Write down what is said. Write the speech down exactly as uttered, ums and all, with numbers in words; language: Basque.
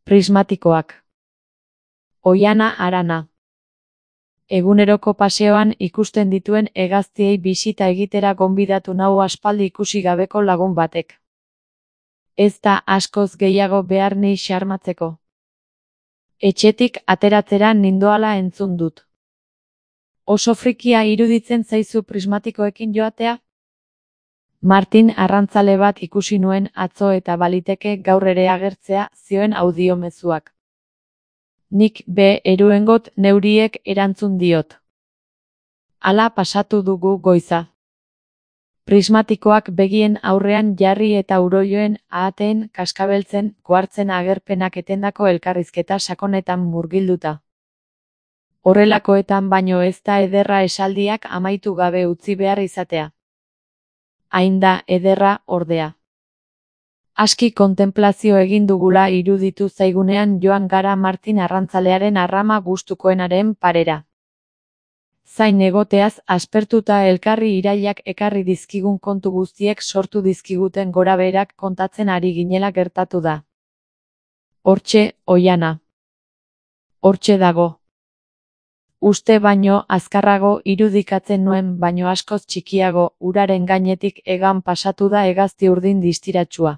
Prismatikoak. Oihana Arana. Eguneroko paseoan ikusten dituen hegaztiei bisita egitera gonbidatu nau aspaldi ikusi gabeko lagun batek. Ez da askoz gehiago behar ni xarmatzeko. Etxetik ateratzera nindoala entzun dut. Oso frikia iruditzen zaizu prismatikoekin joatea? Martin arrantzale bat ikusi nuen atzo eta baliteke gaur ere agertzea, zioen audiomezuak. Nik be eruengot neuriek erantzun diot. Hala pasatu dugu goiza. Prismatikoak begien aurrean jarri eta uroioen ahateen kaskabeltzen kuartzen agerpenak etendako elkarrizketa sakonetan murgilduta. Horrelakoetan baino ez da ederra esaldiak amaitu gabe utzi behar izatea. Hain da ederra, ordea. Aski kontenplazio egin dugula iruditu zaigunean joan gara Martin arrantzalearen arrama gustukoenaren parera. Zain egoteaz aspertuta elkarri irailak ekarri dizkigun kontu guztiek sortu dizkiguten gorabeherak kontatzen ari ginela gertatu da. Hortxe, oihana. Hortxe dago. Uste baino azkarrago irudikatzen nuen baino askoz txikiago, uraren gainetik hegan pasatu da hegazti urdin distiratsua.